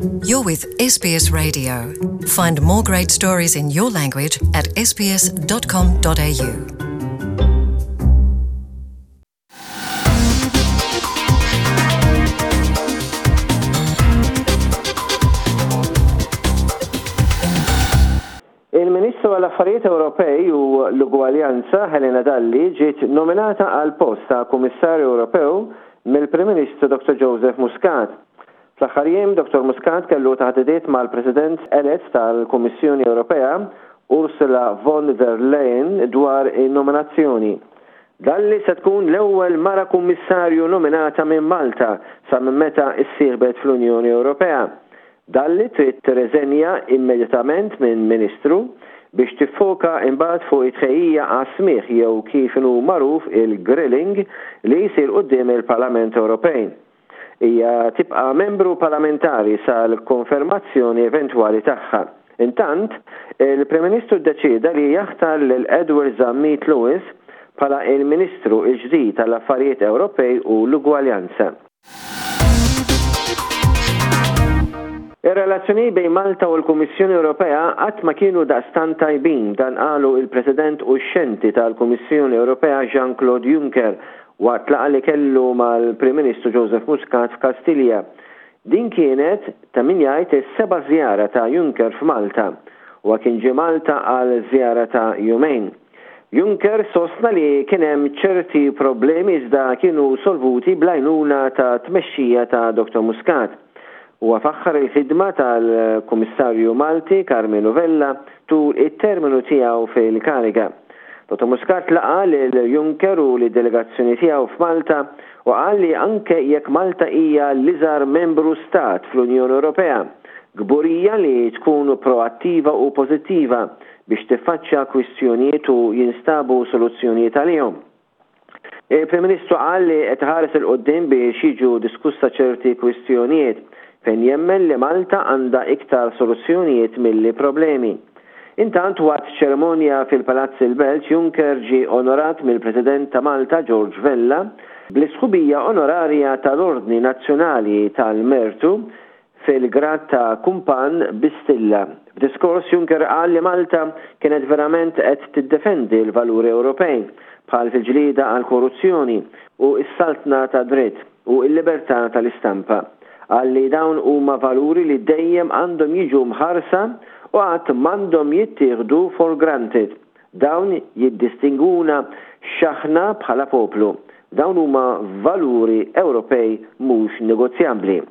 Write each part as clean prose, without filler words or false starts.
You're with SBS Radio. Find more great stories in your language at sbs.com.au. Il-Ministru għall-Affarijiet Ewropej u l-Ugwaljanza Helena Dalli ġiet nominata għall-post ta' Kummissarju Ewropew mill-Prim Ministru Dr Joseph Muscat. Fl-aħħar jiem Dr Muscat kellu taħdidiet mal-President elett tal-Kummissjoni Ewropea Ursula von der Leyen dwar in-nominazzjoni. Dalli se tkun l-ewwel mara Kummissarju nominata minn Malta sa minn meta issieħbet fl-Unjoni Ewropea. Dalli trid tirreżenja immedjatament minn Ministru biex tiffoka imbagħad fuq it-tħejjija għas-smigħ jew kif inhu magħruf il-grilling li jsir quddiem il-Parlament Ewropej. Hija tibqa' membru parlamentari sal-konfermazzjoni eventwali tagħha. Intant, il-Prim Ministru ddeċieda li jaħtar lil Edward Zammit Lewis bħala il-Ministru l-ġdid għall-Affarijiet Ewropej u l-Ugwaljanza. Ir-relazzjonijiet bejn Malta u l-Kummissjoni Ewropea qatt ma kienu daqstant tajbin, dan qalu il-President uxxenti tal-Kummissjoni Ewropea Jean-Claude Juncker waqt laqgħa li kellu mal-Prim Ministru Joseph Muscat f'Kastilja. Din kienet, ta' min jgħid, is-seba' żjara ta' Juncker f'Malta. Huwa kien ġie Malta għal żjara ta' jumejn. Juncker sostna li kien hemm ċerti problemi iżda kienu solvuti bl-għajnuna ta' tmexxija ta' Dottor Muscat. Huwa faħħar il-ħidma tal-Kummissarju Malti Karmenu Vella tul it-terminu tiegħu fil-kariga. Dottor Muscat laqa' lil Juncker u lid-delegazzjoni tiegħu f'Malta u qal li anke jekk Malta hija l-iżgħar membru stat fl-Unjoni Ewropea, kburija li tkun proattiva u pożittiva biex tiffaċċja kwistjonijiet u jinstabu soluzzjonijiet għalihom. Il-Prim Ministru qal li qed iħares 'il quddiem biex jiġu diskussa ċerti kwistjonijiet, fejn jemmen li Malta għandha iktar soluzzjonijiet milli problemi. Intant waqt ċerimonja fil-Palazz il-Belt, Juncker ġie onorat mill-President ta' Malta George Vella bl-isħubija onorarja tal-Ordni Nazzjonali tal-Mertu fil-grad ta' kumpann bi stilla. F'diskors Juncker qal li Malta kienet verament qed tiddefendi l-valuri Ewropej, bħal fil-ġlieda għall-korruzzjoni u s-saltna tad-dritt u l-libertà tal-istampa. Qal li dawn huma valuri li dejjem għandhom jiġu mħarsa u qatt m'għandhom jittieħdu for granted. Dawn jiddistingwuna x'aħna bħala poplu. Dawn huma valuri Ewropej mhux negozjabbli.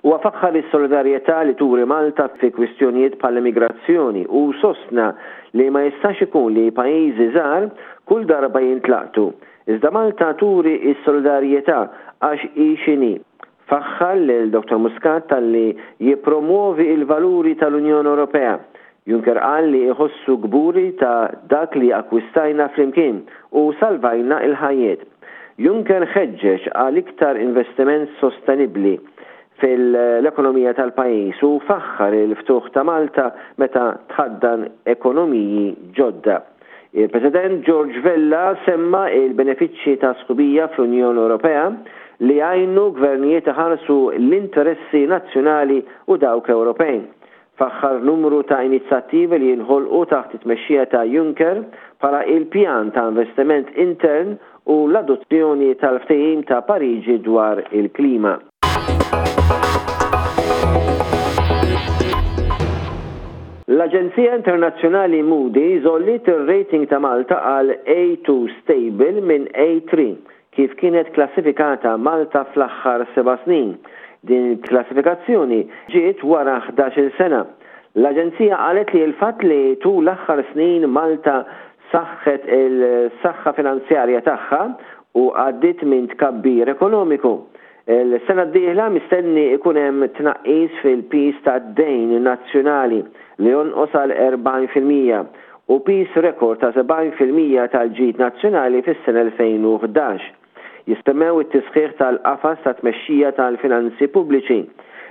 Huwa faħħar is-solidarjetà li turi Malta fi kwistjonijiet bħall-immigrazzjoni u sostna li ma jistax ikun li pajjiżi żgħar kull darba jintlaqtu, iżda Malta turi s-solidarjetà għax hi x'inhi. Faħħar lil Dottor Muscat talli jippromwovi l-valuri tal-Unjoni Ewropea. Juncker qal li iħossu kburi ta' dak li akkwistajna flimkien u salvajna l-ħajjiet. Juncker ħeġġeġ għal iktar investiment sostenibbli fil-ekonomija tal-pajjiż u faħħar il-ftuħ ta' Malta meta tħaddan ekonomiji ġodda. Il-President George Vella semma il-benefiċċji ta' sħubija fl-Unjoni Ewropea li jgħinu gvernijiet iħarsu l-interessi nazzjonali u dawk Ewropej. Faħħar numru ta' inizjattivi li jinħolqu taħt it-tmexxija ta' Juncker bħala il-pjan ta' investiment intern u l-adozzjoni tal-Ftehim ta' Pariġi dwar il-klima. L-aġenzija internazzjonali Moody's għolliet ir-rating ta' Malta għal A2 stable minn A3 kif kienet klassifikata Malta fl-aħħar seba' snin. Din il-klassifikazzjoni ġiet wara 11-il sena. L-aġenzija qalet li l-fatt li tul l-aħħar snin Malta saħħet il-saħħa finanzjarja tagħha u għaddiet minn tkabbir ekonomiku. Il-sena d-dieħla mistenni jkun hemm tnaqqis fil-piż tad-dejn nazzjonali li jonqos għal 40% u piż rekord ta' 70% tal-ġid nazzjonali fis-sena 2011. Jissemmew it-tisħiħ tal-qafas ta' tmexxija tal-finanzi pubbliċi,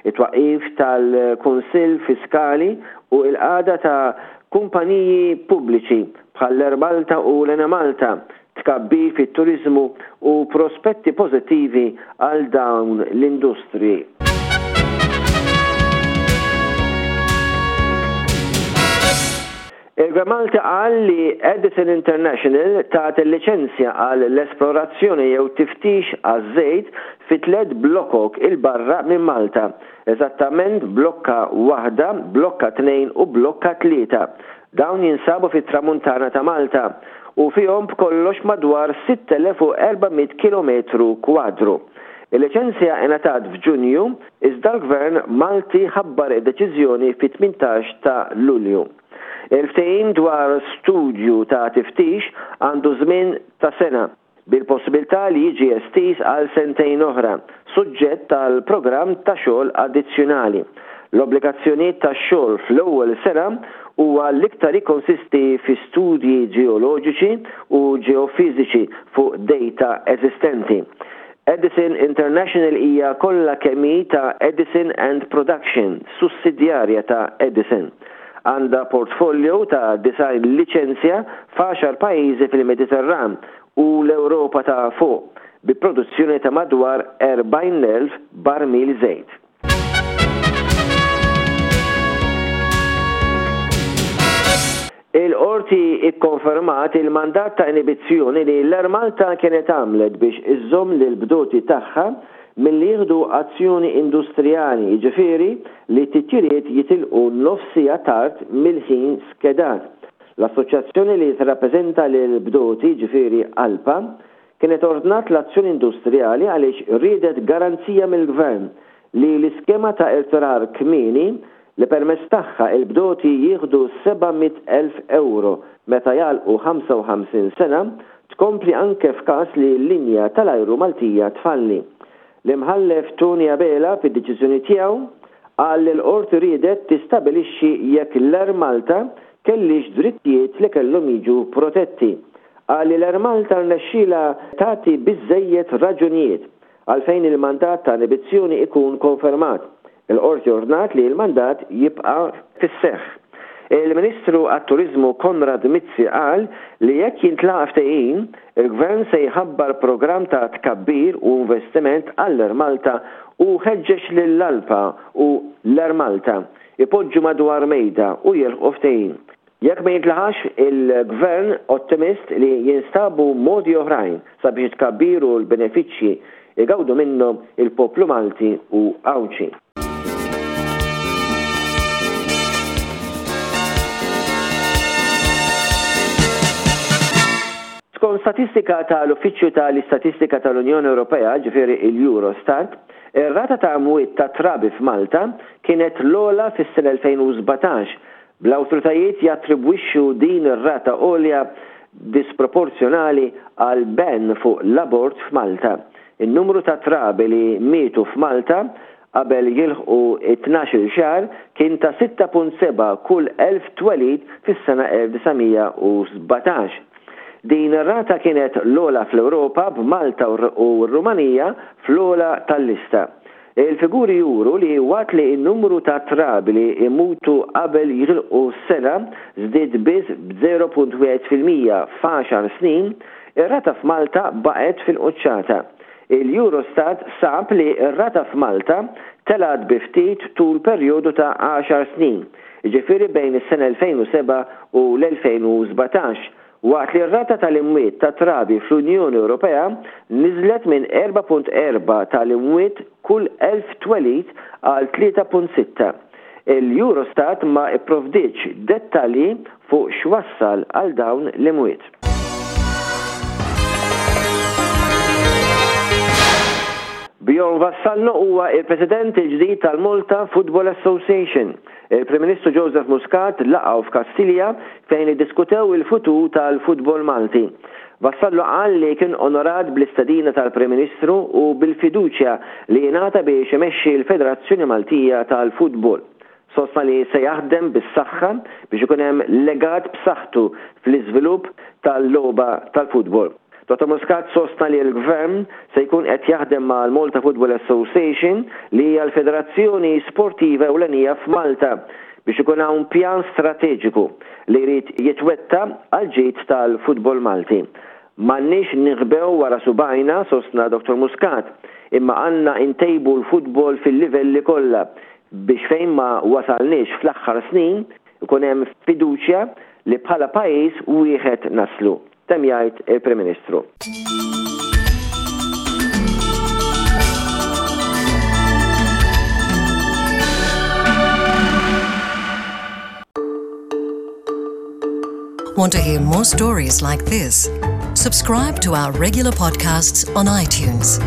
it-twaqqif tal-Kunsill Fiskali u l-qagħda ta' kumpaniji pubbliċi bħall-Air Malta u l-Enemalta tkabbir fit-turiżmu u prospetti pożittivi għal dawn l-industriji. Il-Gvern Malti qal li Edison International tat il-liċenzja għal l-esplorazzjoni jew tiftix għaż-żejt fi tlett blokok 'il barra minn Malta, eżattament blokka waħda, blokka tnejn u blokka tlieta. Dawn jinsabu fit-Tramuntana ta' Malta u fihom b'kollox madwar 6,400 kilometru kwadru. Il-liċenzja ingħatat f'Ġunju iżda l-Gvern Malti ħabbar id-deċiżjoni fit-18 ta' Lulju. Il-ftehim dwar studju ta' tiftix għandu żmien ta' sena, bil-possibilità li jiġi estiż għal sentejn oħra, suġġett għal programm ta' xogħol addizzjonali. L-obbligazzjonijiet tax-xogħol fl-ewwel sena huwa l-iktar jikkonsisti fi studji ġeoloġiċi u ġeofiżiċi fuq dejta eżistenti. Edison International hija kollha kemm hi ta' Edison and Production, sussidjarja ta' Edison. Għandha portfolio ta' 90 liċenzja f'għaxar pajjiżi fil-Mediterran u l-Ewropa ta' Fuq, bi produzzjoni ta' madwar 40,000 barmil żejt. Il-Qorti kkonfermat il-mandat ta' inibizzjoni li l-Air Malta kienet għamlet biex iżżomm lill-bdoti tagħha milli jieħdu azzjoni industrijali, jiġifieri li t-titjiriet jitilqu nofs siegħa tard mill-ħin skedat. L-assoċjazzjoni li tirrappreżenta lill-bdoti, jiġifieri ALPA, kienet ordnat l-azzjoni industrijali għaliex riedet garanzija mill-Gvern li l-iskema ta' irtirar kmieni li permezz tagħha l-bdoti jieħdu 700,000 ewro meta jagħlqu 55 sena, tkompli anke f'każ li l-linja tal-ajru Maltija tfalli. L-Imħallef Tony Abela fid-deċiżjoni tiegħu qal li l-Qorti riedet tistabilixxi jekk l-Air Malta kellhiex drittijiet li kellhom jiġu protetti. Qal li l-Air Malta rnexxielha tagħti biżżejjed raġunijiet għalfejn il-mandat ta' inibizzjoni ikun konfermat. Il-Qorti ordnat li l-mandat jibqa' fis-seħħ. Il-Ministru għat-Turiżmu Konrad Mizzi qal li jekk jintlaqa' ftehim, il-Gvern se jħabbar programm ta' tkabbir u investiment għall-Air Malta u ħeġġeġ lill-ALPA u l-Air Malta jpoġġu madwar mejda u jilħqu ftehim. Jekk ma jintlaħax, il-Gvern ottimist li jinstabu modi oħrajn sabiex it-tkabbir u l-benefiċċji jgawdu minnhom il-poplu Malti u Għawdxi. Skont statistika ta' l-Uffiċċju ta' l-Istatistika ta' l-Unjoni Ewropea, ġifieri l-Eurostat, ir-rata ta' mwiet ta' trabi f'Malta kienet l-ogħla fis-sena 2017 bl-awtoritajiet jattribwixxu din ir-rata għolja disproporzjonali għall-ban fuq l-abort f'Malta. In-numru ta' trabi li mietu f'Malta qabel jilħqu t-tnax-il xahar kien ta' 6.7 kull 1,000 twelid fis-sena 1917. Din ir-rata kienet l-ogħla fl-Ewropa b'Malta u r-Rumanija fl-ogħla tal-lista. Il-figuri juru li waqt li n-numru ta' trabi li jmutu qabel jilħqu sena żdied biss b'0.1% f'għaxar snin, ir-rata f'Malta baqgħet fil-quċċata. Il-Eurostat sab li r-rata f'Malta telgħet bi ftit tul perjodu ta' għaxar snin, jiġifieri bejn is-sena 2007 u l-2017, Waqt li r-rata tal-imwiet tat-trabi fl-Unjoni Ewropea niżlet minn 4.4 tal-imwiet kull 1,000 twelid għal 3.6, il-Eurostat ma pprovdietx dettalji fuq x'wassal għal dawn l-imwiet. Bjorn Vassallo huwa il-President il-ġdid tal-Malta Football Association. Il-Prim Ministru Joseph Muscat laqgħu f'Kastilja fejn iddiskutew il-futur tal-futbol Malti. Vassallo qal li kien onorat bl-istedina tal-Prim Ministru u bil-fiduċja li ingħata biex imexxi l-Federazzjoni Maltija tal-Futbol. Sostna li se jaħdem bis-saħħa biex ikun hemm legat b'saħħtu fl-iżvilupp tal-logħba tal-futbol. Dottor Muscat sostna li l-Gvern se jkun qed jaħdem mal-Malta Football Association li hija l-federazzjoni sportiva ewlenija f'Malta biex ikun hawn pjan strateġiku li jrid jitwetta għall-ġid tal-futbol Malti. M'għandniex ninħbew wara subgħajna, sostna Dottor Muscat, imma għandna ntejbu l-futbol fil-livelli kollha biex fejn ma wasalniex fl-aħħar snin ikun hemm fiduċja. li bħala pajjiż wieħed naslu, temm jgħid il-Prim Ministru. Want to hear more stories like this? Subscribe to our regular podcasts on iTunes.